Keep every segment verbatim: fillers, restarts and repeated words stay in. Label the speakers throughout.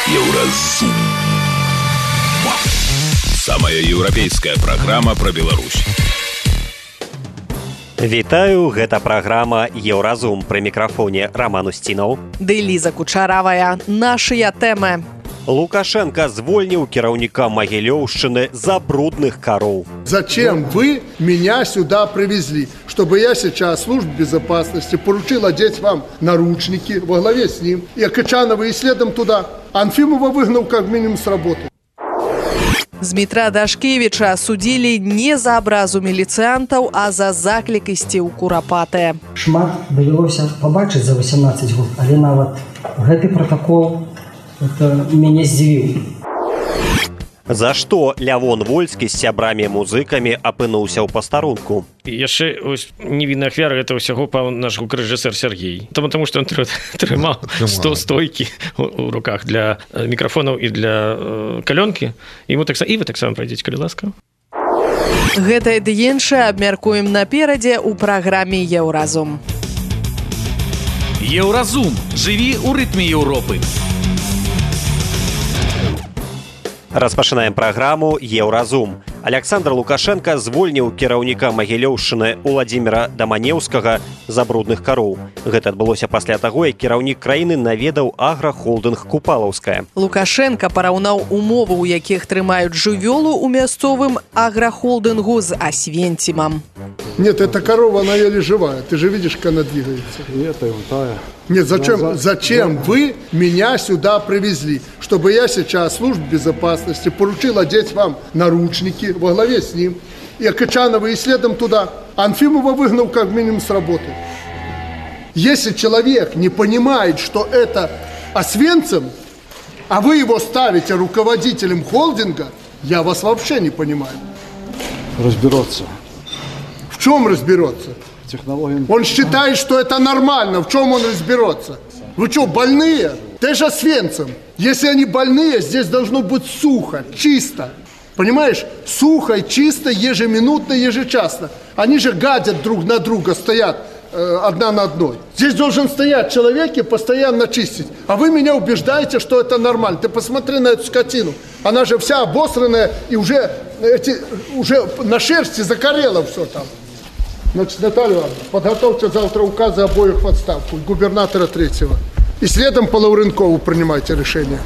Speaker 1: Еўразум. Самая еўрапейская праграма пра Беларусь.
Speaker 2: Вітаю, гэта праграма Еўразум. Пры мікрафоне Роман Устінаў.
Speaker 3: Ды Ліза Кучаравая. Нашыя тэмы.
Speaker 2: Лукашенко звольніў кіраўніка Магілёўшчыны за брудных коров.
Speaker 4: Зачем вы меня сюда привезли? Чтобы я сейчас службе безопасности поручил одеть вам наручники во главе с ним, и Акачанова и следом туда. Анфимова выгнал как минимум с работы.
Speaker 3: Змітра Дашкевіча судзілі не за абразу міліцыянтаў, а за заклік ісці ў курапатыя.
Speaker 5: Шмат давялося пабачыць за восемнадцать год, але нават гэты протокол это мяне здзівіў.
Speaker 2: За што Лявон Вольскі з сябрамі-музыкамі апынуўся ў пастарунку?
Speaker 6: Яшчэ невінны ахвяра гэта ўсяго паў наш гукарэжысэр Сергей. Таму, таму што ён трымаў сто стойкі ў руках для мікрафонаў і для калёнкі. І вы таксама прайдзеце, калі ласка.
Speaker 3: Гэтае ды іншае абмяркуем наперадзе ў праграме Еўразум.
Speaker 1: Еўразум. Жыві ў рытме Еўропы.
Speaker 2: Распачынаем праграму Еўразум. Александр Лукашенко звольніў кіраўніка Магілёўшчыны Уладзіміра Даманеўскага за брудных коров. Гэта адбылося пасля таго, як кіраўнік краіны наведаў аграхолдынг Купалаўская.
Speaker 3: Лукашенко параўнаў умовы, у якіх трымаюць жывёлу ў мясцовым аграхолдынгу з Освенцимом.
Speaker 4: Нет, эта корова, она еле живая. Ты же видишь, как она двигается.
Speaker 7: Нет, это тая.
Speaker 4: Нет, зачем, зачем вы меня сюда привезли? Чтобы я сейчас службе безопасности поручил одеть вам наручники во главе с ним, и Акачанова и следом туда. Анфимова выгнал как минимум с работы. Если человек не понимает, что это Освенцим, а вы его ставите руководителем холдинга, я вас вообще не понимаю.
Speaker 7: Разберется.
Speaker 4: В чем разберется?
Speaker 7: Технология.
Speaker 4: Он считает, что это нормально. В чем он разберется? Вы что, больные? Ты же Освенцим. Если они больные, здесь должно быть сухо, чисто. Понимаешь? Сухо и чисто, ежеминутно, ежечасно. Они же гадят друг на друга, стоят э, одна на одной. Здесь должен стоять человек и постоянно чистить. А вы меня убеждаете, что это нормально. Ты посмотри на эту скотину. Она же вся обосранная и уже, эти, уже на шерсти закорело все там. Значит, Наталья Ивановна, подготовьте завтра указы обоих в отставку, губернатора третьего. И следом по Лаўрынкову принимайте решение.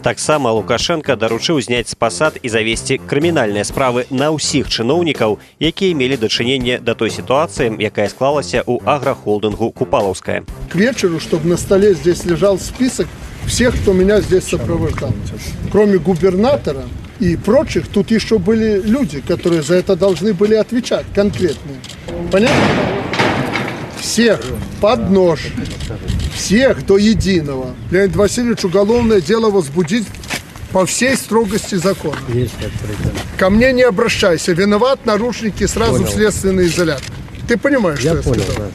Speaker 2: Таксама Лукашенко даручыў зняць з пасад і завесці крымінальныя справы на ўсіх чыноўнікаў, якія мелі дачыненне да той ситуации, якая склалася ў аграхолдынгу Купалаўская.
Speaker 4: К вечеру, чтобы на столе здесь лежал список всех, кто меня здесь сопровождал. Кроме губернатора и прочих, тут еще были люди, которые за это должны были отвечать, конкретные. Понятно? Всех под нож. Всех до единого. Леонид Васильевич, уголовное дело возбудить по всей строгости закона. Ко мне не обращайся. Виноват, нарушники, сразу понял. В следственный изолятор. Ты понимаешь, я что я сказал?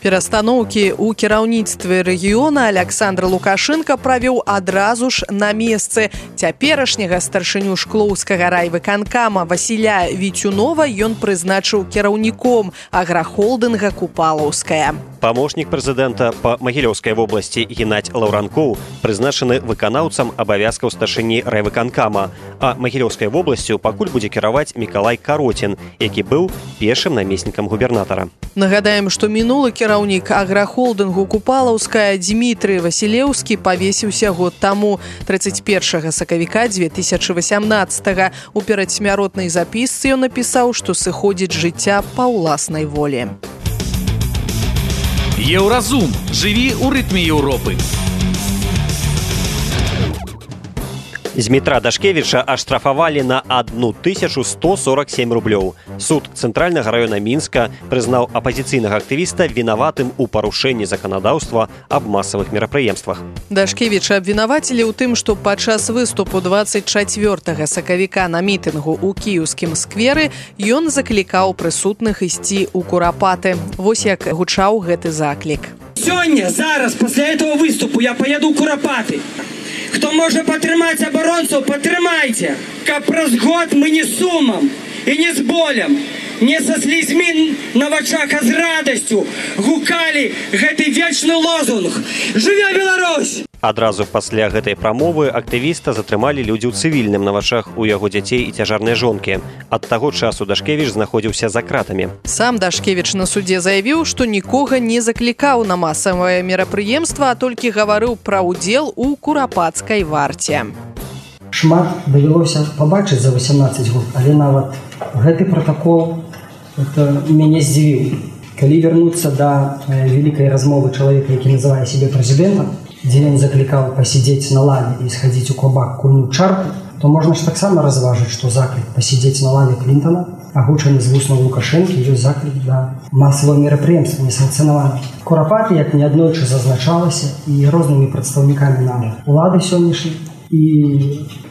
Speaker 3: Перастаноўкі ў кіраўніцтве рэгіёна Александр Лукашенко правёў адразу ж на месцы. Цяперашняга старшыню шклоўскага райвыканкама Васіля Віцюнова ён прызначыў кіраўніком аграхолдынга Купалаўская.
Speaker 2: Памочнік прэзідэнта па Магілёўскай вобласці Геннадзь Лаўранкоў прызначаны выканаўцам абавязкаў старшыні райвыканкама, а Магілёўскай вобласцю пакуль будзе кіраваць Мікалай Кароцін, які быў першым намеснікам губернатара.
Speaker 3: Нагадаем, што мінулы кіраўнік аграхолдынгу Купалаўская Дмітрый Васілеўскі павесіўся год таму, тридцать першага сакавіка две тысячи восемнадцатага. У перадсмяротнай запісцы ён напісаў, што сыходзіць жыцця па ўласнай волі.
Speaker 1: Еўразум. Жыві ў рытме Еўропы.
Speaker 2: Змітра Дашкевіча аштрафавалі на одну тысячу сто сорок семь рублёў. Суд Цэнтральнага раёна Мінска прызнаў апазіцыйнага актывіста вінаватым у парушэнні заканадаўства аб масавых мерапрыемствах.
Speaker 3: Дашкевіча абвінавацілі ў тым, што падчас выступу двадцать чацвёртага сакавіка на мітынгу ў кіеўскім скверы ён заклікаў прысутных ісці ў курапаты. Вось як гучаў гэты заклік.
Speaker 8: Сёння, зараз, пасля этого выступу я поеду ў курапаты. Хто можа падтрымаць абаронцаў, падтрымайце, каб праз год мы не сумам і не з болем, не са слізьмі на вачах, а з радасцю гукалі гэты вечны лозунг «Жыве Беларусь!».
Speaker 2: Адразу пасля гэтай прамовы актывіста затрымалі людзі ў цывільным на вачах у яго дзяцей і цяжарнай жонкі. Ад таго часу Дашкевіч знаходзіўся за кратамі.
Speaker 3: Сам Дашкевіч на судзе заявіў, што нікога не заклікаў на масавае мерапрыемства, а толькі гаварыў пра ўдзел у курапацкай варце.
Speaker 5: Шмат давялося пабачыць за восемнадцаць год, але нават гэты пратакол мяне здзівіў. Калі вярнуцца да вялікай размовы чалавека, які называе сябе прэзідэнтам, дзе ён заклікаў пасядзець на лаве і схадзіць у кабак кульнуць чарку, то можна ж таксама разважыць, што заклік пасядзець на лаве Клінтона, агучаны з вуснаў Лукашэнкі, ёсць заклік да масавага мерапрыемства несанкцыянаванага. Курапаты, як неаднойчы зазначалася, і рознымі прадстаўнікамі нам улады сённяшняй, і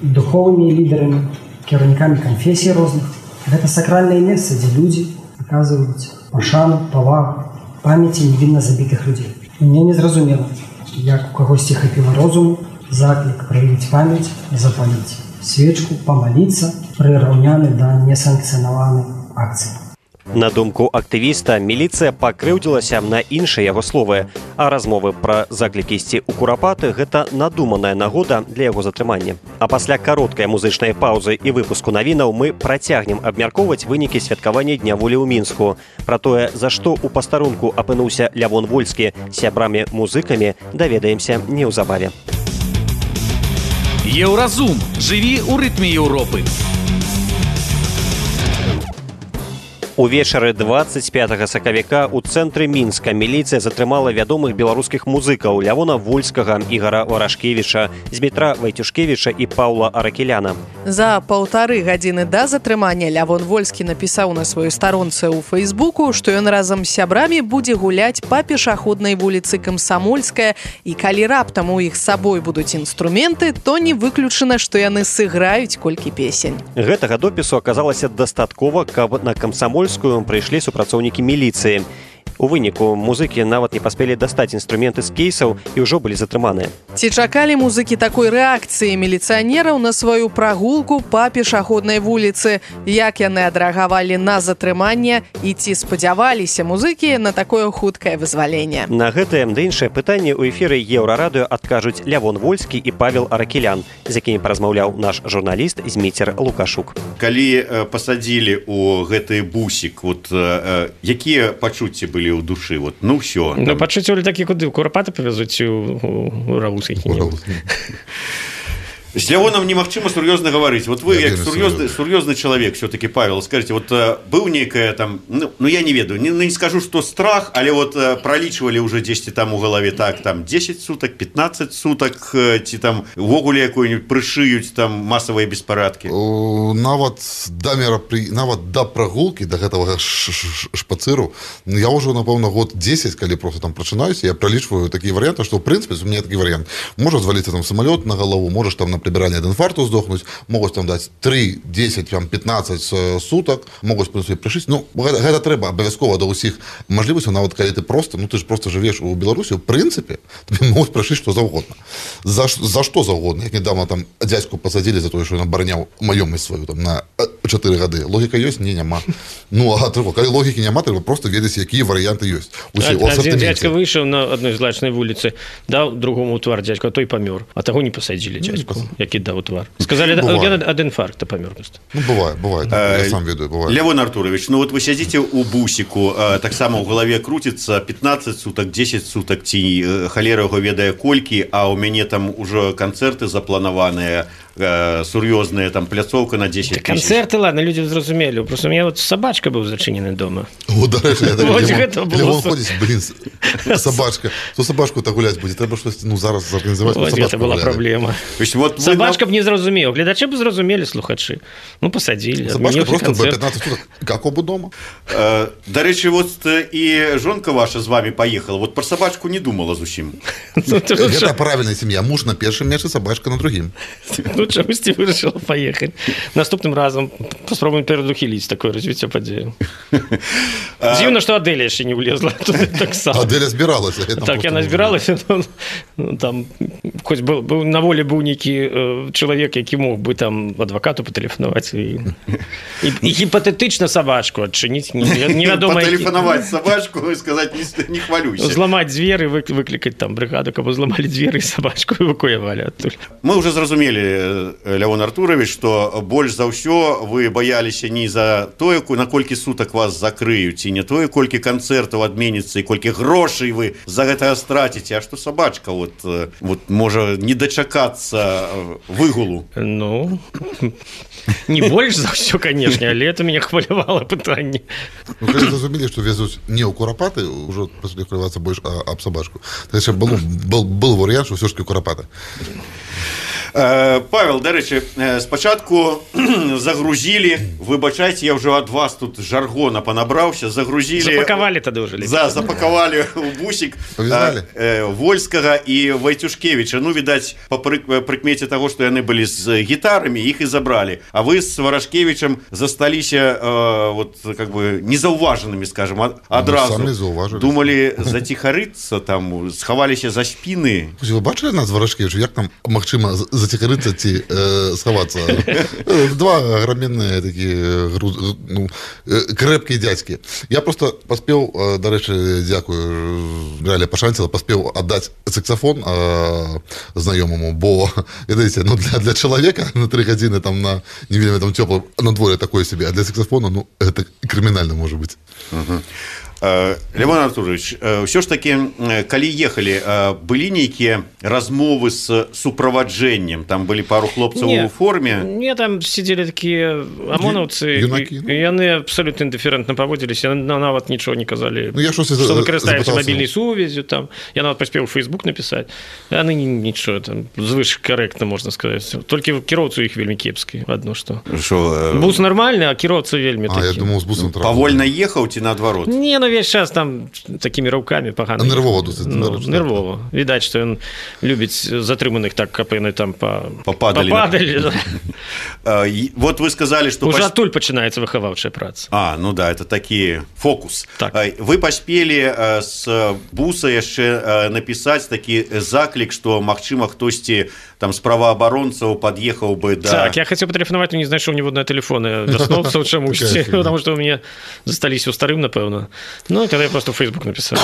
Speaker 5: духовымі лідарамі, кіраўнікамі канфесій розных. Гэта сакральнае месца, дзе людзі аказваюць пашану, павагу, памяці невінна забітых людзей. І мне не зразумела, як у кагосьці хапіла розуму, заклік праявіць памяць, запаліць свечку, памаліцца, прыраўняны да несанкцыянаванай акцыі.
Speaker 2: На думку актывіста, міліцыя пакрыўдзілася на іншыя яго словы, а размовы пра заклікі ісці ў курапаты – гэта надуманая нагода для яго затрымання. А пасля кароткай музычнай паўзы і выпуску навінаў мы працягнем абмяркоўваць вынікі святкавання Дня волі ў Мінску. Пра тое, за што ў пастарунку апынуўся Лявон Вольскі сябрамі-музыкамі, даведаемся неўзабаве.
Speaker 1: Еўразум. Жыві ў рытме Еўропы.
Speaker 2: Увечары дваццаць пятага сакавіка ў цэнтры Мінска міліцыя затрымала вядомых беларускіх музыкаў Лявона Вольскага, Ігара Варашкевіча, Змітра Вайцюшкевіча і Паўла Аракеляна.
Speaker 3: За паўтары гадзіны да затрымання Лявон Вольскі напісаў на сваёй старонцы ў Фэйсбуку, што ён разам з сябрамі будзе гуляць па пешаходнай вуліцы Камсамольская, і калі раптам у іх з сабой будуць інструменты, то не выключана, што яны сыграюць колькі песень.
Speaker 2: Гэтага допісу аказалася дастаткова, каб на Камсамольскую прыйшлі супрацоўнікі міліцыі. У выніку музыкі нават не паспелі дастаць інструменты з кейсаў і ўжо былі затрыманыя.
Speaker 3: Ці чакалі музыкі такой рэакцыі міліцыянераў на сваю прагулку па пешаходнай вуліцы? Як яны адрэагавалі на затрыманне і ці спадзяваліся музыкі на такое хуткае вызваленне?
Speaker 2: На гэтае да іншае пытанне ў эфіры Еўрарадыё адкажуць Лявон Вольскі і Павел Аракелян, з якімі паразмаўляў наш журналіст Зміцер Лукашук.
Speaker 9: Калі э, пасадзілі ў гэты бусік, вот, э, якія пачуцці былі ў душы? Вот, ну ўсё.
Speaker 6: Ну, пачуцці былі такі, куды? Курапаты павязуць у, у Раус які-небудзь.
Speaker 9: С Лявоном немагчыма сур'ёзна гаварыць. Вот вы, як сур'ёзны, сур'ёзны чалавек, все-таки, Павел, скажите, вот быў нейкая там, ну, ну я не ведаю, не, не скажу, что страх, але вот пролічвалі уже дзесьці там у галаве, так, там десять суток, пятнадцать суток, ці там увогуле якой-нибудь прышыюць там масавыя беспарадкі.
Speaker 10: Нават да мерапры... нават да прагулкі, да гэтага шпацыру, я ўжо, напэўна, год десять, калі просто там прачынаюся, я пролічваю такія варыянты, што, в прынцыпе, у меня такі варыянт. Можа зваліцца там самалёт на галаву, можаш там на прибирание ад инфаркту сдохнуть, могут там дать три, десять, пятнадцать суток, могут в принципе пришить. Ну, это треба обовязково до усіх можливостей, нават коли ты просто, ну ты же просто живешь у Беларусі, в принципе, тебе могут пришить что завгодно. За, за что завгодно. Як недавно там дядьку посадили за то, что он оборонял маёмасць свою там на чатыры гады. Логика есть? Не, няма. Ну, а треба, коли логики няма, треба просто ведаць, якія варианты есть.
Speaker 6: Один дядька вышел на одной злачной улице, дал другому твар дядьку, а той помер, а того не посадили дядьку. Які даў твар. Сказали, ну, я ад інфаркта памёр.
Speaker 10: Ну, бывает, бывает. А, я сам ведаю, бывает.
Speaker 9: Лявон Артурович, ну вот вы сядзіце у бусіку, так само ў галаве крутится пятнадцать суток, десять суток, ці халера яго ведае колькі, а ў мяне там ужо канцэрты запланаваныя, сур'ёзная там пляцоўка на десять тысяч.
Speaker 6: Концерты, ладно, люди зразумелі. Просто у меня вот собачка был зачинены дома.
Speaker 10: О, дарэчы, я так Лявон ходзіць, блин, собачка. То собачку так гулять будет, треба что-то, ну, зараз зорганізаваць.
Speaker 6: Вот это была проблема.
Speaker 9: Вот
Speaker 6: собачка б не зразумела, гледачи бы зразумели, слухачи. Ну, посадили.
Speaker 10: Собачка просто бы пятнадцать суток, как оба дома.
Speaker 9: Дарэчы, вот и жонка ваша з вами поехала, вот про собачку не думала зусім.
Speaker 10: Это правильная семья. Муж на першым месцы, собачка на другім.
Speaker 6: тут чамусьці вырашыла паехаць. Наступным разам паспробуем перадухіліць такое развіццё падзею. Дзіўна, што Адэля яшчэ не влезла туды таксама.
Speaker 10: Адэля збіралася.
Speaker 6: Так, яна збіралася, там, хоць быў на волі быў нейкі чалавек, які мог бы там адвакату патэлефанаваць і гіпатэтычна сабачку адчыніць.
Speaker 9: Патэлефанаваць сабачку і сказаць не хвалюйся.
Speaker 6: Зламаць дзверы, выклікаць там брыгаду, каб зламалі дзверы і сабачку эвакуявалі адтуль.
Speaker 9: Мы уже зразумелі, Лявон Артурович, што больш за ўсё вы баяліся не за тое, на колькі сутак вас закрыюць, і не тое, колькі канцэртаў адменіцца, і колькі грошай вы за гэта страціце, а што сабачка вот, вот можа не дачакацца выгулу.
Speaker 6: Ну, не больш за ўсё, канешне, але это мяне хвалявала пытанне.
Speaker 10: Ну, калі зразумелі, што везуць не ў курапаты, ўжо пачалі хвалявацца больш аб сабачку. Так яшчэ был, был, был варыянт, што ўсё ж такі курапаты.
Speaker 9: Павел, дарэчы, спачатку загрузілі, выбачайце, я ўжо ад вас тут жаргона панабраўся, загрузілі...
Speaker 6: Запакавалі тады ўжо.
Speaker 9: За, запакавалі ў бусік Вольскага і Вайцюшкевіча. Ну, відаць, па прыкмеце таго, што яны былі з гітарамі, іх і забралі. А вы з Варашкевічам засталіся вот, как бы, незаўважанымі, скажем, адразу.
Speaker 10: Ну,
Speaker 9: думалі заціхарыцца, там, схаваліся за спіны.
Speaker 10: Вы бачылі нас, Варашкевіч, як там магчыма заціхарыцца ці э, схавацца? Два аграменныя такія ну, крэпкія дзядзькі. Я просто паспеў, дарэчы, дзякую, Галя пашанціла, паспеў аддаць саксафон э, знаёмаму, бо, ведаеце, ну, для, для чалавека на тры гадзіны там на не вельмі там цёплым надвор'е такое сабе, а для саксафона, ну, гэта крымінальна можа быць.
Speaker 9: Uh-huh. Лявон Артурович, ўсё ж такі, калі ехалі, былі нейкія размовы з суправаджэннем? Там былі пару хлопцаў у форме?
Speaker 6: Не, там сидзелі такія амонаўцы, і яны абсолютно індыферэнтна паводзіліся, нават нічого не казалі,
Speaker 10: ну,
Speaker 6: што выкарыстаюцца мабільнай сувязю, там, я нават паспеў у Facebook напісаць, яны нічого, там, звыш карэктна, можна сказаць, толькі кіроўцу іх вельмі кепскі, адно што. Бус нармальны, а кіроўца вельмі такі.
Speaker 10: А, я думаў, з бусам трапіў.
Speaker 9: Павольна ехаў ці наадварот?
Speaker 6: Не, ну, весь час там такімі раўкамі пагана.
Speaker 10: А нервова досыць.
Speaker 6: Ну, нервова. Відаць, што ён любіць затрыманых так, каб яны там
Speaker 9: пападалі.
Speaker 6: Пападалі.
Speaker 9: Вот вы сказали, што...
Speaker 6: Уже адтуль пачынаецца выхаваўчая праца.
Speaker 9: А, ну да, это такі фокус.
Speaker 6: Так.
Speaker 9: Вы паспелі з буса яшчэ напісаць такі заклік, што, магчыма, хтосьці там з праваабаронцаў пад'ехаў бы да...
Speaker 6: Так, я хацеў патэлефанаваць, но не знайшоў ніводныя тэлефоны вясноўцаў чамусьці, потому што у мяне засталіся ў старым, напэўна. Ну, тогда я просто в Facebook написал.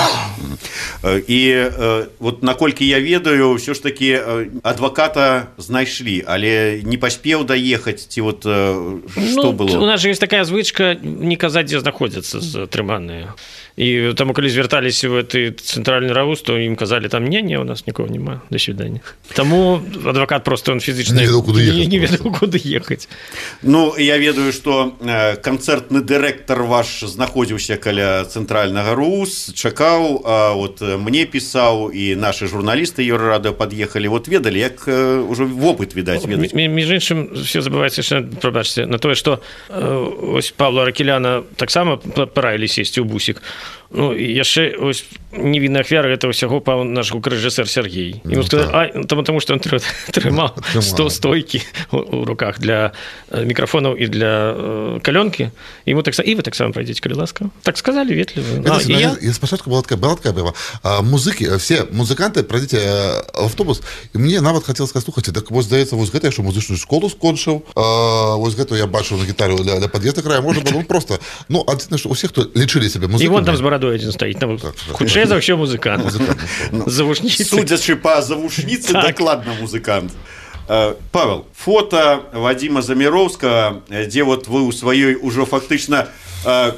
Speaker 9: І вот наколькі я ведаю, ўсё ж такі адваката знайшлі, але не паспеў даехаць, ці вот што
Speaker 6: ну,
Speaker 9: было?
Speaker 6: У нас же есть такая звычка не казаць, дзе знаходзяцца затрыманыя. І таму, калі звярталіся в гэты цэнтральны раус, то ім казалі, там, не-не, у нас нікого няма, до свидания. Таму адвакат просто, он фізічна
Speaker 10: не ведаў, куды ехаць.
Speaker 6: Не ведаў, куды ехаць.
Speaker 9: Ну, я ведаю, што канцэртны дырэктар ваш знаходзіўся каля цэнтральнага РУС, чакаў, а вот мне пісаў, і нашы журналісты Еўрарадыё пад'ехалі, вот ведалі, як ужо вопыт, відаць, ведаць.
Speaker 6: Між іншым, все забываецца яшчэ, прабачце, на тое, што ось Павла Ракеляна таксама параілі сесці ў бусік. Ну, яшчэ ось невінная ахвяра гэта ўсяго паў наш гукарэжысэр Сергей. Ему сказали, а, тому, тому што ён трымаў сто стойкі у руках для мікрафонаў і для калёнкі. Ему так і вы таксама пройдзеце, калі ласка. Так сказали ветліва.
Speaker 10: А, я... я спачатку была такая, была такая была. А, музыкі, все музыканты, пройдзеце в автобус, і мне нават хацелось сказаць, слухайце, так вось здаецца, вось гэта я што музычную школу скончыў, а, вось гэта я бачыў на гітару для, для пад'езда края, можа было просто. Ну, адзіна, што усе, хто лічылі сябе музыкамі.
Speaker 6: І вон там з барадой адзін стаіць, там хутчэй за ўсё музыкант. Завушніцы.
Speaker 9: Судзячы па завушніцы, дакладна музыкант. Павел, фото Вадима Заміроўскага, дзе вот вы ў сваёй ужо фактычна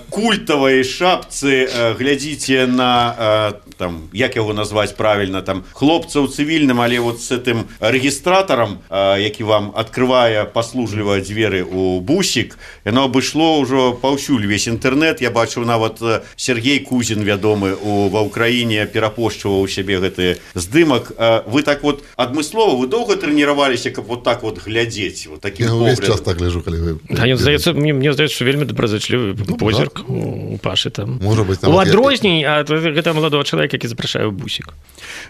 Speaker 9: культавай шапцы глядзіце на там, як яго назваць правільна, там хлопца ў цывільным, але вот з гэтым рэгістратарам, які вам адкрывае паслужліва дзверы ў бусік, яно абышло ўжо паўсюль весь інтэрнэт. Я бачыў нават Сергей Кузін, вядомы у ва ўкраіне, перапошчваў у сябе гэты здымак. Вы так вот адмыслова, вы доўга трэніраваліся, каб вот так вот глядзець, вот таким
Speaker 10: поглядом? Я ўвесь час так гляджу, калі вы...
Speaker 6: А ён, здаецца, мне, мне здаецца, што вельмі добразычлівы позірк у Пашы там.
Speaker 10: Можа быць,
Speaker 6: у адрозней ад гэта маладого чалавека, які запрашае ў бусік.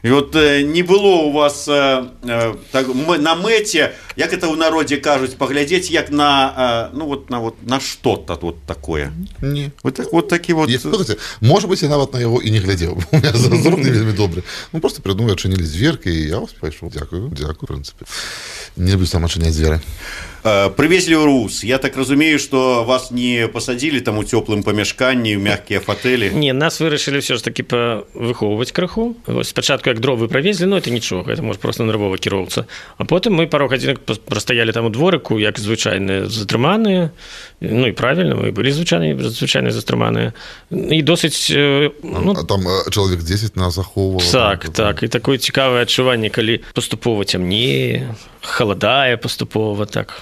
Speaker 9: І вот не было у вас так, на мэце як это ў народзе кажуць, паглядзець як на ну вот на вот на что-то вот такое.
Speaker 10: Не.
Speaker 9: Вот так вот такі вот.
Speaker 10: Слухайте, может быть, я нават на яго і не глядзеў. У меня зрок не вельмі добры. Ну просто придумаю, адчынілі дзверкі, і я вас пайшоў. Дзякую, дзякую, в прынцыпе. Не люблю сам адчыняць дзверы.
Speaker 9: Привезли ў Рус. Я так разумею, что вас не посадили там у теплым памяшканні, у мягкія фатэлі.
Speaker 6: Не, нас вырашылі все ж таки выхоўваць крыху. Вось спачатку як дровы правезлі, но это нічога, это может просто нервовы кіроўца. А потым мы пару гадзінак прастаялі там у дворыку, як звычайныя затрыманыя. Ну і правильно, мы былі звычайныя, звычайныя затрыманыя. І досыць ну,
Speaker 10: а там чалавек дзесяць нас захоўваў.
Speaker 6: Так, там, так, і такое цікавае адчуванне, калі паступова цямнее, халадае паступова, так.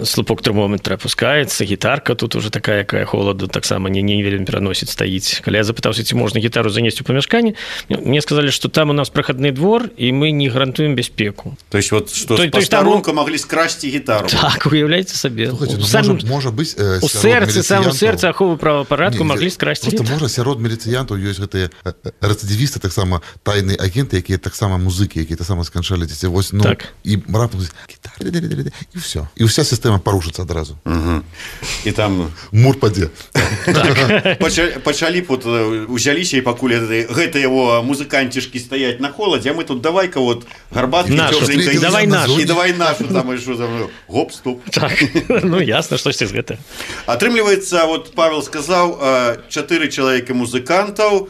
Speaker 6: Слупок тэрмометра опускаецца, гітарка тут уже такая, якая холаду таксама не, не вельмі пераносіць, стаіць. Калі я запытаўся, ці можна гітару занесці ў памяшканне, мне сказалі, што там у нас прахадны двор, і мы не гарантуем бяспеку.
Speaker 9: То есть вот, што з пастарунка там... маглі скрасці гітару.
Speaker 6: Так, уяўляйце сабе.
Speaker 10: Слухайте, ну,
Speaker 6: сам...
Speaker 10: можа, можа быць, э,
Speaker 6: у сэрцы, сам у сэрцы аховы правапарадку маглі скрасці
Speaker 10: гітару.
Speaker 6: Просто
Speaker 10: можа сярод міліцыянтаў ёсць гэтыя рэцыдывісты, таксама тайныя агенты, якія таксама музыкі, якія таксама сканчалі дзеці. Вось, ну,
Speaker 6: так.
Speaker 10: І раптам гітара, і ўсё. І ўся сістэма парушыцца адразу.
Speaker 9: Угу. І там...
Speaker 10: Мур падзе.
Speaker 9: Так. Пачалі, пачалі вот, узяліся, і пакуль гэта яго музыканцішкі стаяць на холадзе, а мы тут давай-ка вот гарбаткі цёпленькай.
Speaker 6: Давай нашу.
Speaker 9: І давай нашу. Там, і що, там, гоп, стоп.
Speaker 6: Так. Ну, ясно, штосьці з гэта.
Speaker 9: Атрымліваецца, вот Павел сказаў, чатыры чалавекі музыкантаў,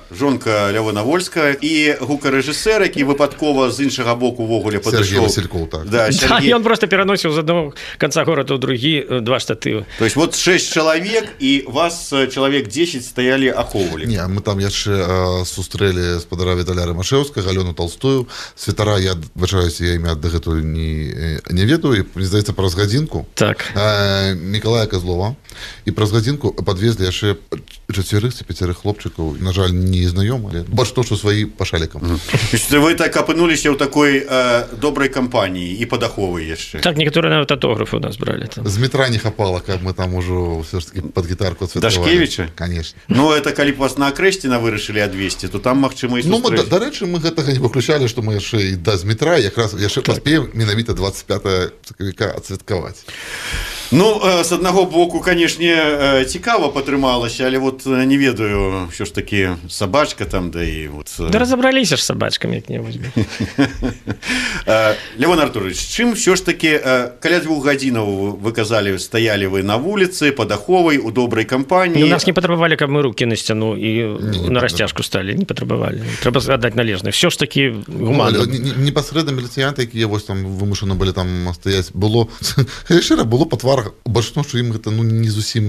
Speaker 9: жонка Лявона Вольская і гукарэжысэр, які выпадкова з іншага боку ўвогуле падышоў.
Speaker 10: Сергей Васильков, так.
Speaker 9: Да,
Speaker 6: Сергей. Да, ён просто пераносіў з аднаго канца горада ў другі два штатывы.
Speaker 9: То есть вот шэсць чалавек, і вас чалавек дзесяць стаялі ахоўвалі.
Speaker 10: Не, мы там яшчэ э, сустрэлі спадара Віталя Рымашэўскага, Алену Толстую. Святара, я адбачаюся, я імя дагэтуль не, не ведаю, і, мне здаецца, праз гадзінку.
Speaker 6: Так.
Speaker 10: Э, Мікалая Козлова. І праз гадзінку падвезлі яшчэ чацвярых ці пяцярых хлопчыкаў, на жаль, не знаёмы, больш то, што сваі па шалікам.
Speaker 9: Mm. Вы так апынуліся ў такой э, добрай кампаніі і падаховы яшчэ.
Speaker 6: Так, некаторыя нават аўтографы у нас бралі. Там.
Speaker 10: З метра не хапала, каб мы там ужо ўсё ж таки пад гітарку адсвяткавалі.
Speaker 9: Дашкевіча?
Speaker 10: Конечно.
Speaker 9: Ну, это калі б вас на Акрэсціна вырашылі адвесці, то там, магчыма, і сустрэць.
Speaker 10: Ну, дарэчы, мы гэтага не выключалі, што мы яшчэ і да з метра якраз яшчэ так. Паспеем менавіта двадцать пятого сакавіка адсвяткаваць.
Speaker 9: Ну, з аднаго боку, канешне, цікава патрымалася, але вот не ведаю, ўсё ж такі сабачка там, да і вот...
Speaker 6: Да разабраліся ж сабачкамі як-небудзь.
Speaker 9: Лявон Артурович, чым ўсё ж такі, каля двух гадзінаў вы казалі, стаялі вы на вуліцы, пад аховай, у добрай кампаніі.
Speaker 6: Ну, нас не патрабавалі, каб мы рукі на сцяну і не, на расцяжку сталі, не патрабавалі. Трэба аддаць належнае. Ўсё ж такі гуманна.
Speaker 10: Непасрэдна міліцыянты, якія вось там вымушаны былі там стаяць, было... Шчыра, было па тварах бачно, што ім гэта ну, не зусім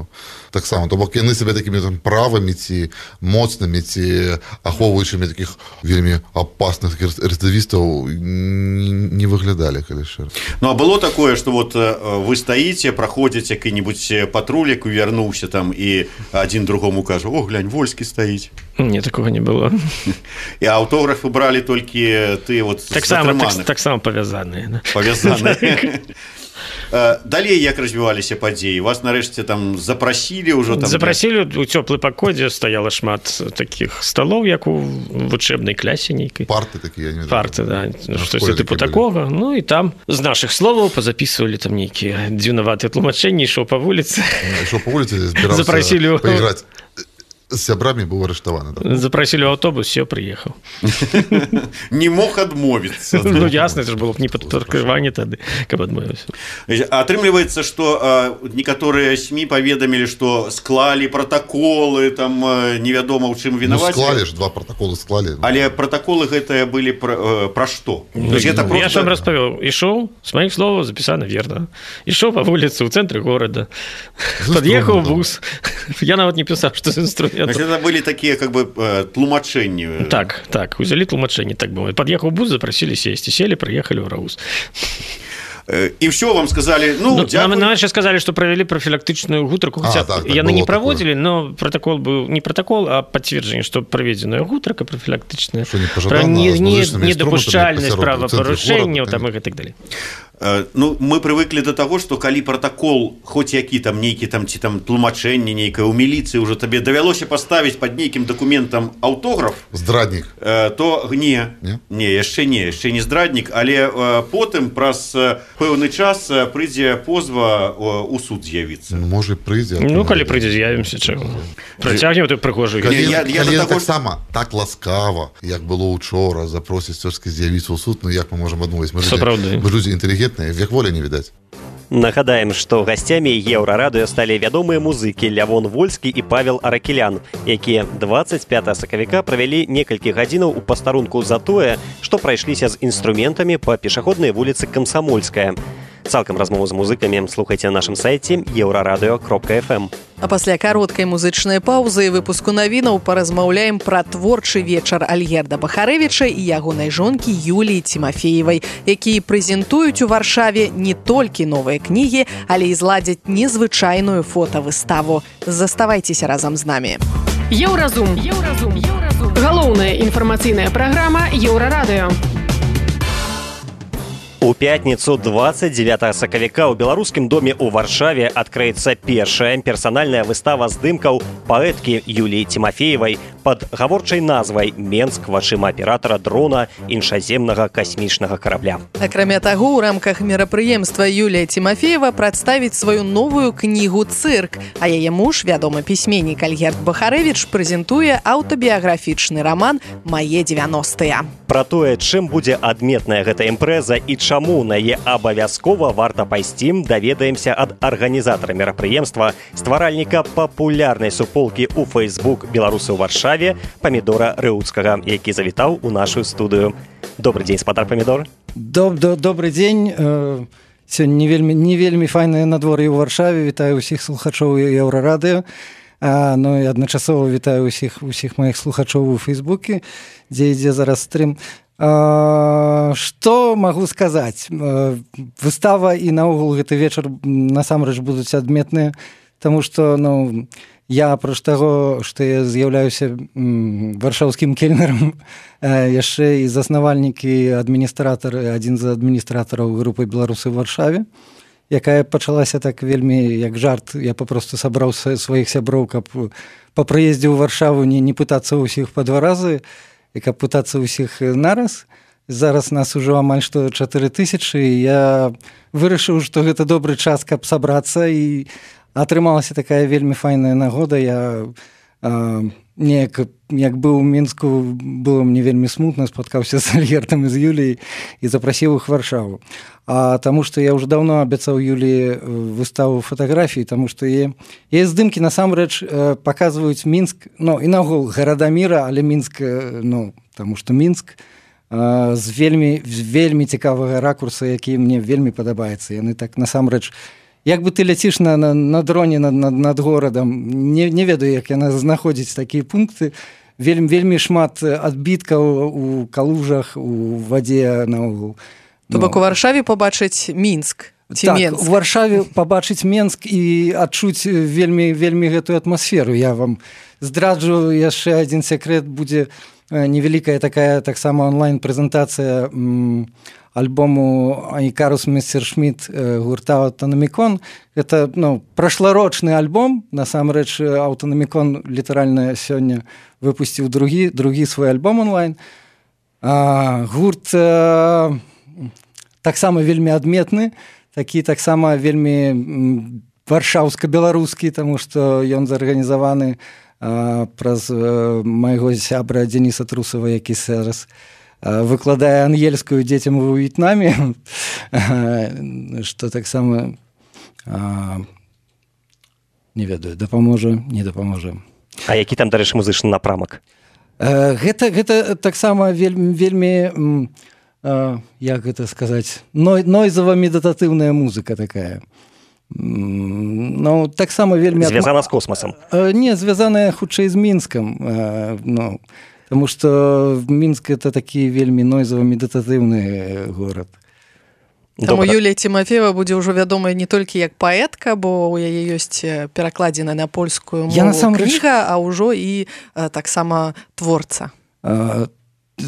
Speaker 10: э, таксама. То бок яны сябе такімі там правымі ці моцнымі ці ахоўваючымі такіх вельмі апасных рэцыдывістаў не, не выглядалі, калі шчыра.
Speaker 9: Ну, а было такое, што вот вы стаіце, праходзіць які-небудзь патруль, які вярнуўся там і адзін другому кажа: «О, глянь, Вольскі стаіць».
Speaker 6: Не, такого не было.
Speaker 9: І аўтографы бралі толькі ты вот
Speaker 6: так затрыманых. Так, так само павязаныя.
Speaker 9: Павязаныя. Далей як развіваліся падзеі? Вас нарэшце там запрасілі ўжо там.
Speaker 6: Запрасілі у цёплы пакой, дзе стаяла шмат такіх сталоў, як у вучэбнай клясе нейкай.
Speaker 10: Парты такія, не ведаю.
Speaker 6: Парты, да. Штосьці тыпу такога. Ну і там з нашых словаў пазапісвалі там нейкія дзіўнаватыя тлумачэнні, ішоў па вуліцы.
Speaker 10: Ішоў па вуліцы, збіраўся паіграць. З сябрамі быў арыштаваны. Да?
Speaker 6: Запрасілі ў аўтобус, все, прыехаў.
Speaker 9: Не мог адмовіцца.
Speaker 6: Ну, ясна, это ж было б не падкрыванне тады, каб адмовіўся.
Speaker 9: Атрымліваецца, што некаторыя СМІ паведамілі, што склалі пратаколы, там невядома, ў чым вінаваць.
Speaker 10: Ну, склалі ж, два пратаколы склалі.
Speaker 9: Але пратаколы гэтыя былі пра, пра што?
Speaker 6: Ну, я просто... ж вам распавёў. Ішоў, з маіх словаў запісана верна. Ішоў па вуліцы ў цэнтры горада. Пад'ехаў бус. Я нават не пісаў, што з інструментом.
Speaker 9: Значит, это были такие, как бы, тлумачэнні.
Speaker 6: Так, так, узялі тлумачэнні, так бы. Пад'ехаў бус, запрасілі сесці, сели, прыехалі ў Раус.
Speaker 9: І все вам сказали, ну,
Speaker 6: ну
Speaker 9: дякую.
Speaker 6: Нам еще сказали, что провели профилактичную гутарку, хотя
Speaker 10: так, так,
Speaker 6: яны не проводили,
Speaker 10: такое.
Speaker 6: Но протокол был не протокол, а подтверждение, что проведенная гутарка профилактичная,
Speaker 10: не
Speaker 6: про недопушчальность правопорушения там, и так далее.
Speaker 9: Ну, мы привыкли до того, что калі протокол хоть які там нейкі там ці там тлумачэнне нейкае ў міліцыі уже табе давялося паставіць под нейкім дакументам аўтограф
Speaker 10: здраднік,
Speaker 9: то не не, не яшчэ не яшчэ не здраднік, але потым праз пэўны час прыйдзе позва у суд з'явіцца.
Speaker 10: Можа прыйдзе.
Speaker 6: Ну калі прыйдзе з'явімся чаго працягнем ты прыгожую
Speaker 10: таксама так ласкава як было учора запросіць цёжкі з'явіцца ў суд. Ну як мы можам адмовіць, мы людзі інтэлігентныя, век воля не відаць.
Speaker 2: Нагадаем, што гасцямі еўрарадыё сталі вядомыя музыкі Лявон Вольскі і Павел Аракелян, якія дваццаць пятага сакавіка правялі некалькі гадзінаў у пастарунку за тое, што прайшліся з інструментамі па пешаходнай вуліцы Камсамольская. Цалкам размову з музыкамі слухайце на нашым сайце еўрарадыё кропка эф эм.
Speaker 3: А пасля кароткай музычнай паўзы і выпуску навінаў паразмаўляем пра творчы вечар Альгерда Бахарэвіча і ягонай жонкі Юліі Тимофеевай, якія прэзентуюць у Варшаве не толькі новыя кнігі, але і зладзяць незвычайную фотавыставу. Заставайцеся разам з намі.
Speaker 11: Еўразум. Еўразум. Еўразум. Галоўная інфармацыйная праграма Еўрарадыё.
Speaker 2: У пятніцу дваццаць дзевятага сакавіка ў беларускім доме ў Варшаве адкрыецца першая персанальная выстава здымкаў паэткі Юліі Тимофеевай пад гаворчай назвай «Менск вачыма аператара дрона іншаземнага касмічнага карабля».
Speaker 3: Акрамя таго, у рамках мерапрыемства Юлія Тимофеева прадставіць сваю новую кнігу «Цырк», а яе муж, вядомы пісьменнік Альгерд Бахарэвіч, прэзентуе аўтабіяграфічны раман «Мае дзевяностыя».
Speaker 2: Пра тое, чым будзе адметная гэта імпрэза і чаму на яе абавязкова варта пайсці, даведаемся ад арганізатара мерапрыемства, стваральніка папулярнай суполкі ў Facebook беларусы ў Варшаве Памідора Рыўцкага, які завітаў у нашу студыю. Добры дзень, спадар Памідор.
Speaker 12: Доб, доб, добры дзень. Сёння не вельмі, не вельмі файнае надвор'е ў Варшаве. Вітаю ўсіх слухачоў Еўрарадыё. А, ну і адначасова вітаю ўсіх, усіх маіх слухачоў у Фейсбуке, дзе ідзе зараз стрым. А, што магу сказаць? А, выстава і наогул гэты вечар насамрэч будуць адметныя, таму што ну, я апроч таго, што я з'яўляюся м, варшаўскім кельнерам, а, яшчэ і заснавальнік і адміністратар, адзін з адміністратараў групы «Беларусы ў Варшаве», якая пачалася так вельмі як жарт. Я папросту сабраў сваіх сяброў, каб па прыездзе ў Варшаву не, не пытацца ўсіх па два разы, і каб пытацца ўсіх нараз. Зараз нас ужо амаль што чатыры тысячы, і я вырашыў, што гэта добры час, каб сабрацца, і атрымалася такая вельмі файная нагода. Я а, неяк, як быў у Мінску, было мне вельмі смутна, спаткаўся з Альгертам і з Юліяй і запрасіў іх Варшаву. А таму што я ўжо даўно абяцаў Юліі выставу фатаграфій, таму што яе, яе здымкі насамрэч паказваюць Мінск, ну і наогул гарада міра, але Мінск, ну, таму што Мінск з вельмі, вельмі цікавага ракурса, які мне вельмі падабаецца. Яны так насамрэч, як бы ты ляціш на, на, на дроне над, над, над горадам, не, не ведаю, як яна знаходзіць такія пункты, вельмі, вельмі шмат адбіткаў у калужах, у вадзе наогул.
Speaker 3: То бок у Варшаве пабачыць Мінск ці
Speaker 12: так,
Speaker 3: Менск.
Speaker 12: У Варшаве пабачыць Менск і адчуць вельмі, вельмі гэтую атмасферу. Я вам здраджу яшчэ адзін секрет, будзе невялікая такая таксама онлайн-прэзентацыя м, альбому Айкарус Мессершмітт гурта «Аўтанамікон». Гэта ну, прашларочны альбом. Насамрэч «Аўтанамікон» літаральна сёння выпусціў другі, другі свой альбом онлайн. А, гурт а, таксама вельмі адметны, такі таксама вельмі варшаўска-беларускі, таму што ён зарганізаваны а, праз а, майго сябра Дзениса Трусава, які зараз а, выкладае ангельскую дзецям у В'етнаме, што таксама а, не ведаю, дапаможа, не дапаможа.
Speaker 2: А які там, дарэчы, музычны напрамак?
Speaker 12: А, гэта, гэта таксама вельмі, вельмі Uh, як гэта сказаць, ной, нойзава-медытатыўная музыка такая. Ну, таксама вельмі...
Speaker 2: Звязана з космасам?
Speaker 12: Uh, не, звязаная хутчэй з Мінскам. Uh, ну, таму што Мінск — это такі вельмі нойзава-медытатыўны горад.
Speaker 3: Таму Юлія Тимофеева будзе ўжо вядомая не толькі як паэтка, бо ў яе ёсць перакладзена на польскую мову кніга, а ўжо і uh, таксама творца.
Speaker 12: Uh,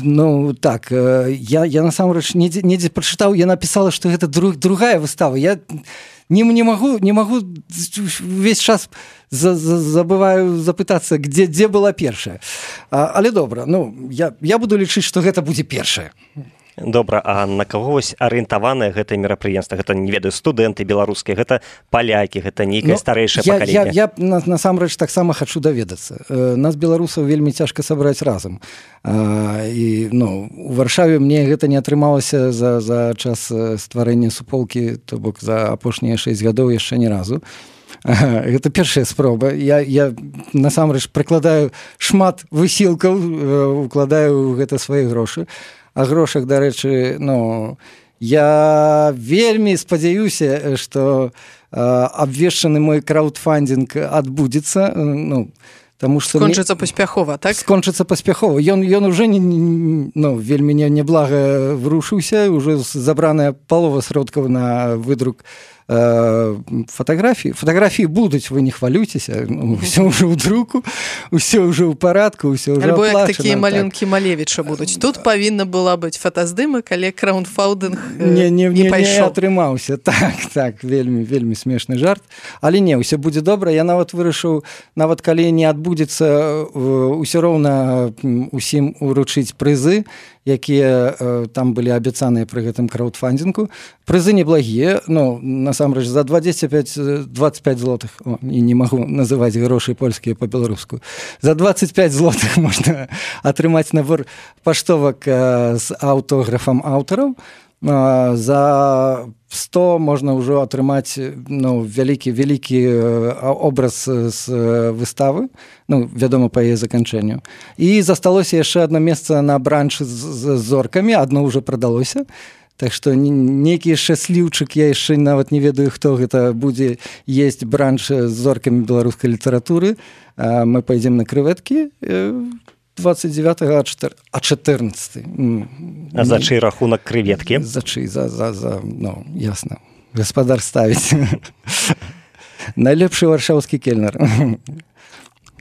Speaker 12: Ну так, я, я насамрэч недзе, недзе прачытаў, я напісала, што гэта друг, другая выстава. Я не, не магу, не магу увесь час за, за, забываю запытацца, дзе, дзе была першая. А, але добра, ну, я, я буду лічыць, што гэта будзе першая.
Speaker 2: Добра, а на каго вось арыентаванае гэтае мерапрыемства? Гэта, не ведаю, студэнты беларускія, гэта палякі, гэта нейкае ну, старэйшае
Speaker 12: я,
Speaker 2: пакаленне.
Speaker 12: Я, я насамрэч таксама хачу даведацца. Нас, беларусаў, вельмі цяжка сабраць разам. А, і, ну, у Варшаве мне гэта не атрымалася за, за час стварэння суполкі, то бок за апошнія шэсць гадоў яшчэ ні разу. Гэта першая спроба. Я, я насамрэч прыкладаю шмат высілкаў, укладаю ў гэта свае грошы. А грошах, дарэчы, ну, я вельмі спадзяюся, што абвешчаны мой краўдфандинг адбудзецца, ну, таму што
Speaker 3: скончыцца мне... паспяхова, так?
Speaker 12: Скончыцца паспяхова. Ён, ён уже не, ну, вельмі не, неблага врушыўся, уже забраная палова сродкаў на выдрук фотографии. Фотографии будут, вы не хвалюйтеся. Ну, все уже в друку, все уже в порядку, все уже
Speaker 3: альбо
Speaker 12: оплачено.
Speaker 3: Альбо такие малюнки Малевича будут. Тут повинна была быть фотоздымок, але краундфандинг э,
Speaker 12: не, не,
Speaker 3: не, не
Speaker 12: Не
Speaker 3: пайшоў.
Speaker 12: атрымаўся. Так, так, вельмі, вельмі смешны жарт. Але не, все будзе добра. Я нават вырашыў, нават калі не адбудзецца, ўсё роўна усім уручыць прызы, якія э, там былі абяцаныя пры гэтым краўдфандингу. Прызы неблагія, ну, насамрэч, за двадцать пять, двадцать пять злотых, о, і не магу называць грошы польскія па-беларуску, за двадцать пять злотых можна атрымаць набор паштовак э, з аўтографам аўтараў, э, за сто можна ўжо атрымаць, ну, вялікі, вялікі образ з выставы, ну, вядома, па яе заканчэнню. І засталося яшчэ адно месца на бранчы з зоркамі, адно ўжо прадалося. Так што нейкі шчасліўчык, я яшчэ нават не ведаю, хто гэта будзе есць бранч з зоркамі беларускай літаратуры. Мы пойдзем на крэветкі двадцать девятого, а четырнадцатый.
Speaker 2: А за чый рахунак крэветкі?
Speaker 12: За чый, за, за, за, ну, ясна. Гаспадар ставіць. Найлепшы варшаўскі кельнер.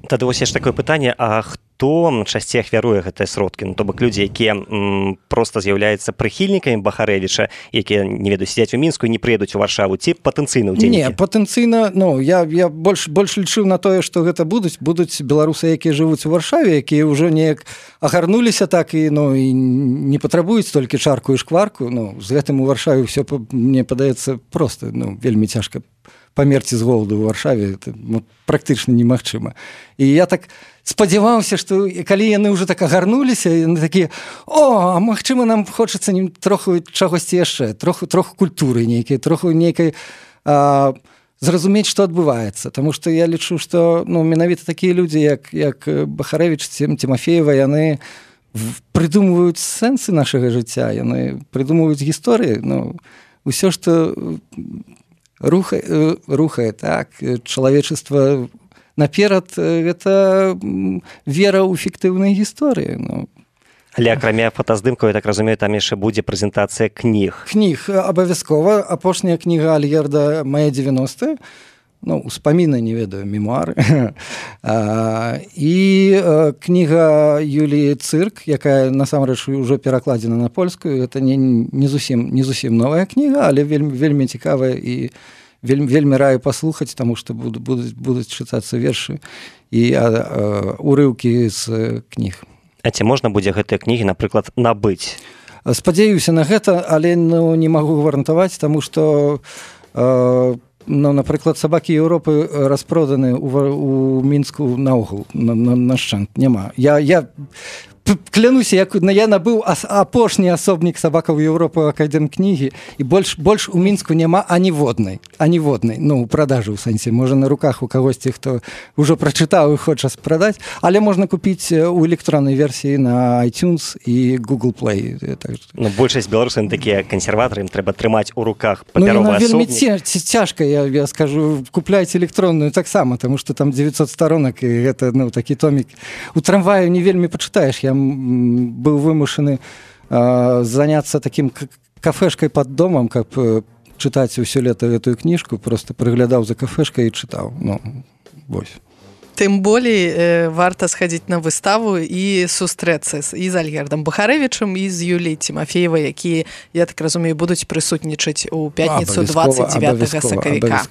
Speaker 2: Тады вось яшчэ такое пытанне, а хто часцей ахвяруе гэтыя сродкі? Ну, то бок людзі, якія м, проста з'яўляюцца прыхільнікамі Бахарэвіча, якія, не ведаю, сядзяць у Мінску і не прыедуць у Варшаву, ці патэнцыйна ўдзельнікі?
Speaker 12: Не, патэнцыйна, ну, я, я больш, больш лічыў на тое, што гэта будуць, будуць беларусы, якія жывуць у Варшаве, якія ўжо неяк агарнуліся так і, ну, і не патрабуюць толькі чарку і шкварку. Ну, з гэтым у Варшаве ўсё, мне падаецца, проста, ну, вельмі цяжка памерці з голаду ў Варшаве, это, ну, практычна немагчыма. І я так спадзяваўся, што калі яны ўжо так агарнуліся, яны такія: о, а магчыма, нам хочацца троху чагосьці яшчэ, троху, троху культуры нейкай, троху нейкай а, зразумець, што адбываецца. Таму што я лічу, што, ну, менавіта такія людзі, як, як Бахарэвіч, Тимофеева, яны прыдумваюць сэнсы нашага жыцця, яны прыдумваюць гісторыі. Ну, усё, што рухае, рухае так, чалавечества наперад, гэта вера ў фіктыўнай гісторыі. Ну.
Speaker 2: Але акрамя фотаздымкаў, я так разумею, там яшчэ будзе прэзентацыя кніг.
Speaker 12: Кніг абавязкова. Апошняя кніга Альгерда «Мая девяностая», ну, успаміны, не ведаю, мемуары. І кніга Юліі Цырк, якая насамрэч ужо перакладзена на польскую. Гэта не, не, зусім, не зусім новая кніга, але вельмі, вельмі цікавая і вельмі, вельмі раю паслухаць, таму што будуць, будуць, будуць чытацца вершы і а, а, урыўкі з кніг.
Speaker 2: А ці можна будзе гэтыя кнігі, напрыклад, набыць?
Speaker 12: Спадзяюся на гэта, але, ну, не магу гарантаваць, таму што а, ну, напрыклад, сабакі Еўропы распроданы ў, у Мінску наогул, на, на, на шчант, няма. Я, я клянуся, як я набыў апошні асобнік сабакаў Еўропы академ кнігі, і больш, больш у Мінску няма аніводнай, аніводнай, ну, у продажы ў сэнсе, можа на руках у кагосьці, хто ўжо прачытаў і хоча прадаць, але можна купіць у электроннай версіі на iTunes і Google Play. Так.
Speaker 2: Ну, большасць беларусаў такія кансерватары, ім трэба трымаць у руках папяровы асобнік.
Speaker 12: Ну, вельмі цяжка, я, я скажу, купляйце электронную таксама, таму што там девятьсот сторонак, і гэта, ну, такі томік. У трамваю не вельмі пачытаеш, я быў вымушаны э, заняцца такім кафешкай пад домам, каб э, чытаць усё лета гэтую кніжку, просто прыглядаў за кафешкай і чытаў. Ну, вось.
Speaker 3: Тым болей э, варта схадзіць на выставу і сустрэцца і з Альгердам Бахарэвічам і з Юлій Тимофеевай, якія, я так разумею, будуць прысутнічаць у пятніцу двадцать девятого сакавіка.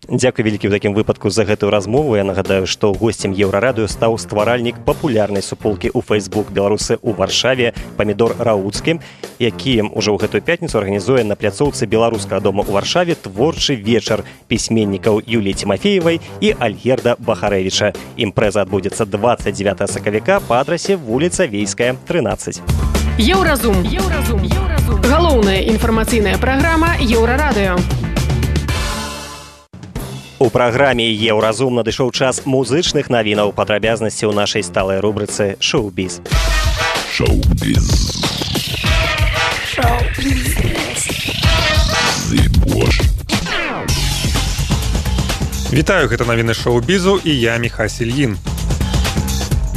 Speaker 2: Дзякуй вялікі ў такім выпадку за гэтую размову. Я нагадаю, што госцем Еўрарадыё стаў стваральнік папулярнай суполкі ў Facebook беларусы ў Варшаве Памідор Рауцкі, які ўжо ў гэтую пятніцу арганізуе на пляцоўцы беларускага дома ў Варшаве творчы вечар пісьменнікаў Юліі Тимофеевай і Альгерда Бахарэвіча. Імпрэза адбудзецца двадцать девятого сакавіка па адрасе вуліца Вейская, трынаццаць.
Speaker 11: Еўразум. Еўразум. Еўразум. Галоўная інфармацыйная праграма Еўрарадыё.
Speaker 2: У праграме Еўразум надышоў час музычных навінаў, падрабязнасці ў нашай сталай рубрыцы «Шоу-біз».
Speaker 13: Шоу-біз.
Speaker 14: Вітаю, гэта навіны шоу-бізу і я Міхась Ільін.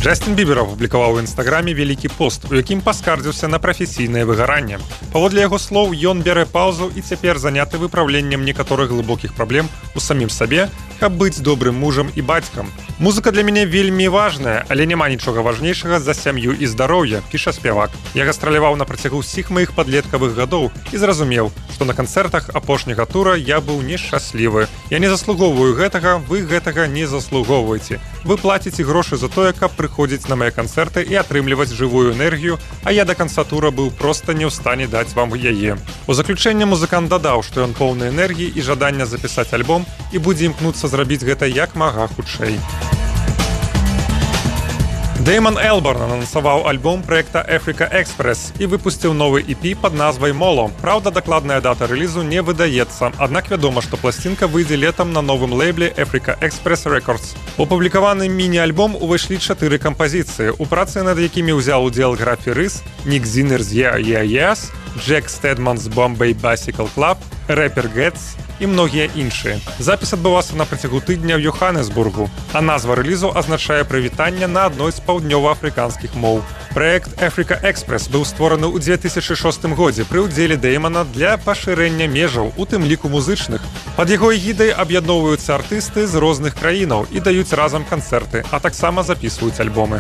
Speaker 14: Джастин Бібер апублікаваў у інстаграме вялікі пост, у якім паскардзіўся на прафесійнае выгаранне. Паводле яго слоў, ён бярэ паўзу і цяпер заняты выпраўленнем некаторых глыбокіх праблем у самім сабе, каб быць добрым мужам і бацькам. Музыка для мяне вельмі важная, але няма нічога важнейшага за сям'ю і здароўе, піша спявак. Я гастраляваў на працягу ўсіх маіх падлеткавых гадоў і зразумеў, што на канцэртах апошняга тура я быў нешчаслівы. Я не заслугоўваю гэтага, вы гэтага не заслугоўваеце. Вы плаціце грошы за тое, каб прыходзіць на мае канцэрты і атрымліваць жывую энергію, а я да канца тура быў проста не ў стане даць вам яе. У заключэнне музыкант дадаў, што ён поўны энергіі і жадання запісаць альбом і будзе імкнуцца зрабіць гэта як мага хутчэй. Дэйман Элборн анансаваў альбом проекта Africa Express і выпусціў новы і пі пад назвай «Моло». Праўда, дакладная дата рэлізу не выдаецца, аднак вядома, што пласцінка выйдзе летам на новым лейбле Africa Express Records. У публікаваны міні-альбом увайшлі чатыры кампазіцыі, у працы над якімі ўзяў удзел Графі Рыс, Нік Зінер з «Yeah, Yeah, Yes», Джек Стэдман з «Bombay Bicycle Club», рэпер Гэтс і многія іншыя. Запіс адбываўся на працягу тыдня ў Йоханнесбургу, а назва рэлізу азначае прывітанне на адной з паўднёва-афрыканскіх моў. Праект Africa Express быў створаны ў две тысячы шостым годзе пры ўдзеле Дэймана для пашырэння межаў, у тым ліку музычных. Пад яго эгідай аб'ядноўваюцца артысты з розных краінаў і даюць разам канцэрты, а таксама запісваюць альбомы.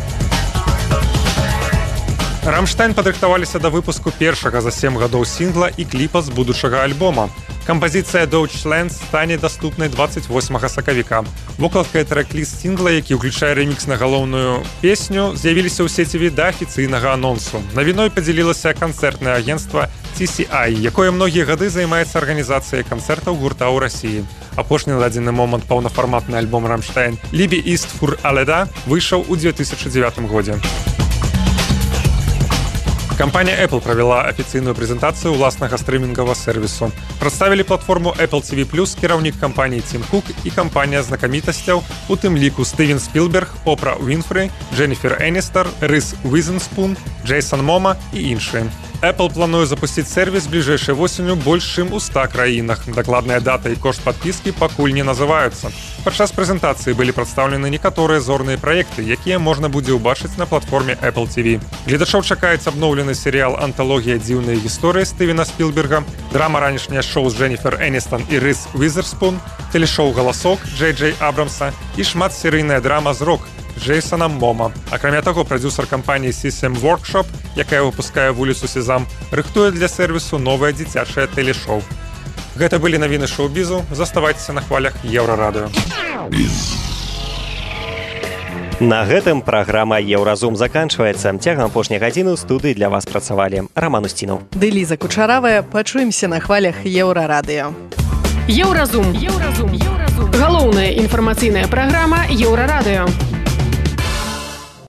Speaker 14: Рамштайн падрыхтаваліся да выпуску першага за сем гадоў сінгла і кліпа з будучага альбома. Кампазіцыя «Deutschland» стане даступнай двадцать восьмага сакавіка. Вокладка і трэк-ліст сінгла, які ўключае рэмікс на галоўную песню, з'явіліся ў сеціве да афіцыйнага анонсу. Навіной падзялілася канцэртнае агенцтва Ти Си Ай, якое многія гады займаецца арганізацыяй канцэртаў гурта ў Расіі. Апошні на дадзены момант паўнафарматны альбом «Рамштайн» «Liebe ist für alle da» выйшаў у две тысячы дзевятым годзе. Кампанія Apple правяла афіцыйную прэзентацыю ўласнага стрымінгавага сервісу. Прадставілі платформу Apple Ти Ви плюс кіраўнік кампаніі Тім Кук і кампанія знакамітасцяў, у тым ліку Стывен Спілберг, Опра Уінфры, Дженніфер Эністер, Рис Уизенспун, Джейсон Мома і іншыя. Apple плануе запусціць сервіс бліжэйшай восенню больш чым у ста краінах. Дакладная дата і кошт падпіскі пакуль не называюцца. Падчас прэзентацыі былі прадстаўлены некаторыя зорныя праекты, якія можна будзе ўбачыць на платформе Apple Ти Ви. Гледачоў чакаецца абноўлены серыял «Анталогія дзіўнай гісторыі» Стывена Спілберга, драма ранішняе шоу з Дженніфер Эністон і Рис Уизерспун, тэлешоу «Галасок» Джей Джей Абрамса і шматсерыйная драма з «Рок» Джейсона Мома. Акрамя таго, прадзюсар кампаніі System Workshop, якая выпускае вуліцу Сезам, рыхтуе для сервісу новае дзіцячае тэлешоу. Гэта былі навіны шоу-бізу. Заставайцеся на хвалях Еўрарадыё.
Speaker 2: На гэтым праграма «Еўразум» заканчваецца. Цягам апошняй гадзіны ў студыі для вас працавалі Раман Усцінаў.
Speaker 3: Ды Ліза Кучаравая. Пачуемся на хвалях Еўрарадыё.
Speaker 11: Еўразум. Еўразум. Еўразум. Галоўная інфармацыйная праграма Еўрарадыё.